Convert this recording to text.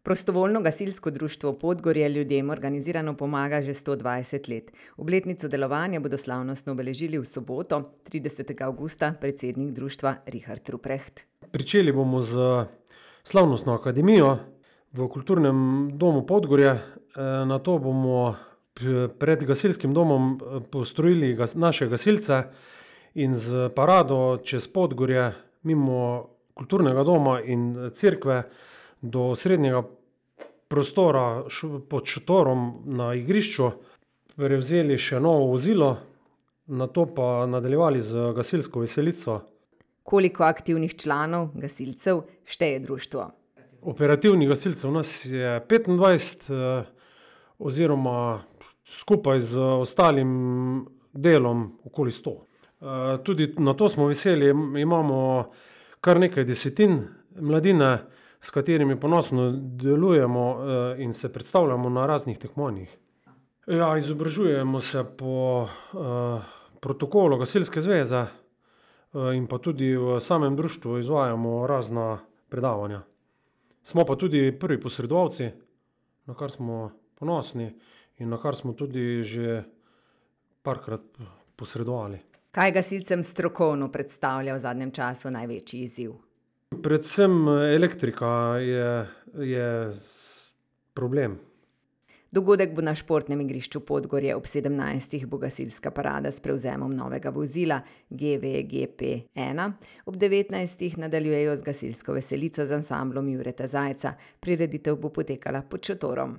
Prostovoljno gasilsko društvo Podgorje ljudem organizirano pomaga že 120 let. Obletnico delovanja bodo slavnostno obeležili v soboto, 30. avgusta, predsednik društva Richard Ruprecht. Pričeli bomo z slavnostno akademijo v kulturnem domu Podgorje. Nato bomo pred gasilskim domom postrojili naše gasilce in z parado čez Podgorje mimo kulturnega doma in cerkve do srednjega prostora pod šotorom na igrišču prevzeli še novo vozilo, nato pa nadaljevali z gasilsko veselico. Koliko aktivnih članov, gasilcev, šteje društvo? Operativnih gasilcev nas je 25, oziroma skupaj z ostalim delom okoli 100. Tudi na to smo veseli, imamo kar nekaj desetin mladine, s katerimi ponosno delujemo in se predstavljamo na raznih tekmovanjih. Ja, izobražujemo se po protokolu Gasilske zveze in pa tudi v samem društvu izvajamo razna predavanja. Smo pa tudi prvi posredovalci, na kar smo ponosni in na kar smo tudi že parkrat posredovali. Kaj gasilcem strokovno predstavlja v zadnjem času največji izziv? Predvsem elektrika je problem. Dogodek bo na športnem igrišču Podgorje, ob 17. bo gasilska parada s prevzemom novega vozila GVGP-1. Ob 19. nadaljujejo z gasilsko veselico z ansamblom Jureta Zajca. Prireditev bo potekala pod šotorom.